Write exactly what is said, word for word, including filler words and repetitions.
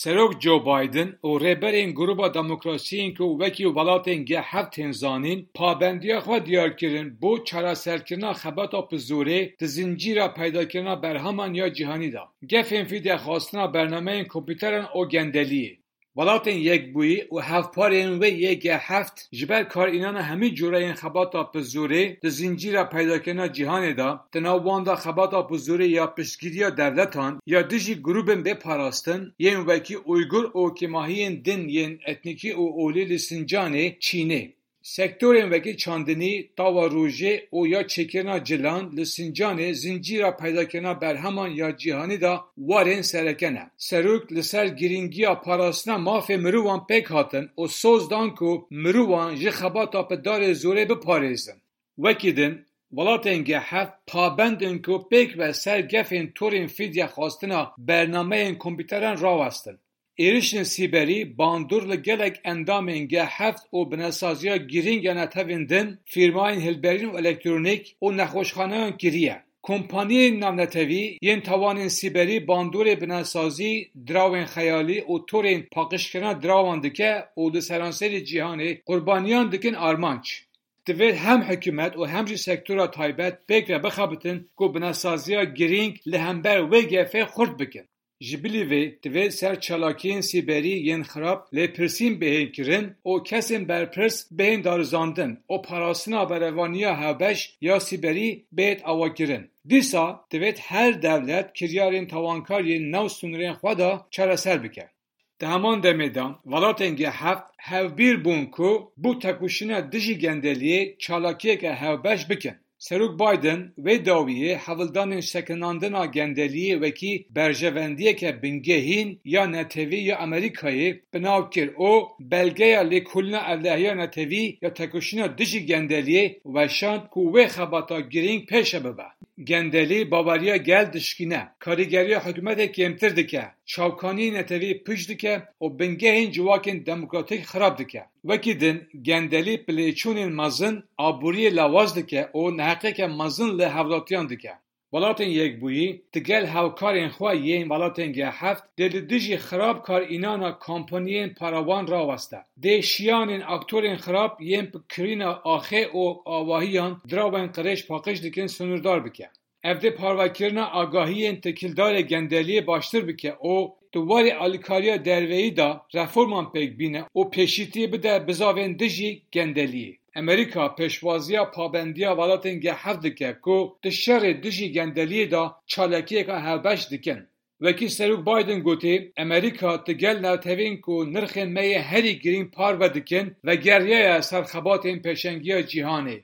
Serok Joe Biden û rêberên Gruba Demokrasiyên ku wekî welatên G heft tên zanîn, pabendiya xwe diyar kirin bo çareserkirina xebata bi zorê di zincîra peydakirina berheman ya cîhanî de. Gefên fîdya xwestina bernameyên kompûteran û gendeliyê. Welatên Yekbûyî û hevparên wê yê G heft ji ber karînana hemî cureyên xebata bi zorê di zincîra peydakirina cîhanê de, di nav wan de xebata bi zorê ya piştgiriya dewletan ya dijî grûbên bê parastin yên wekî Uygur û kêmahiyên din yên etnîkî û olî li Sincanê, Çînê. Sektorên wekî çandinî, tawa rojê û ya çêkirina cilan li Sincanê zincîra peydakirina berheman ya cîhanî de warên sereke ne. Serok li ser girîngiya parastina mafê mirovan pêk hatin û soz dan ku mirovan ji xebata bi darê zorê biparêzin. Wekî din, welatên G heft pabend in ku pêk ve ser gefên torên fîdya xwestina bernameyên kompûteran rawestin. Êrişên sîberî bandor li gelek endamên G heft û binesaziya girîng ya netewên din, fîrmayên hilberîn û elektronîk û nexweşxaneyan kiriye. Kompaniyên navnetewî yên tawanên sîberî bandorê binesazî, dirawên xeyalî û torên paqijkirina dirawan dike û li seranserê cîhanê qurbaniyan dikin armanc. Divê hem hikûmet û hem jî sektora taybet pêk ve bixebitin ku binesaziya girîng li hember wê gefê xurt bikin. Ji bilî vê, divê ser çalakiyên sîberî yên xirab lêpirsîn bihên kirin û kesên berpirs bihên darizandin û parastina berevaniya hevbeş ya sîberî bihêt avakirin. Dîsa divêt her dewlet kiryarên tawankar yên nav sînorên xwe de çareser bike. Di heman demê de, welatên G heft hevbîr bûn ku bo tekoşîna dijî gendeliyê çalakiyeke hevbeş bikin. Serok Biden wê dawiyê hewldanên sekinandina gendeliyê wekî berjewendiyeke bingehîn ya netewî ya Amerîkayê bi nav kir û belgeya lêkolîna ewlehiya netewî ya tekoşîna dijî gendeliyê weşand ku wê xebata girîng pêşe bibe. Gendelî baweriya gel dişkîne, karîgeriya hikûmetê kêmtir dike, çavkaniyên netewî pûç dike û bingehên civakên demokratîk xirab dike. Wekî din, gendelî bi lêçûnên mezin aboriyê lawaz dike û neheqiyeke mezin li hevlatiyan dike. Welatên Yekbûyî digel hevkarên xwe yên welatên G heft dê li dijî xirab karînana kompaniyên parawan raweste. Dê şiyanên aktorên xirab yên bi kirîna axê û avahiyan dirawên qirêj paqij dikin sînordar bike. Ev dê parvekirina agahiyên tekîldarê gendeliyê baştir bike û di warê alîkariya derveyî de reforman pêk bîne û pêşîtiyê bide bizavên dijî gendeliyê. Amerîka pêşwaziya pabendiya welatên G heft dike ku di şerê dijî gendeliyê de çalakiyeka hevbeş dikin. Wekî Serok Biden gotî, Amerîka digel netewên ku nirxên me yê herî girîng parve dikin, vegeriyaya ser xebatên pêşengiya cîhanê.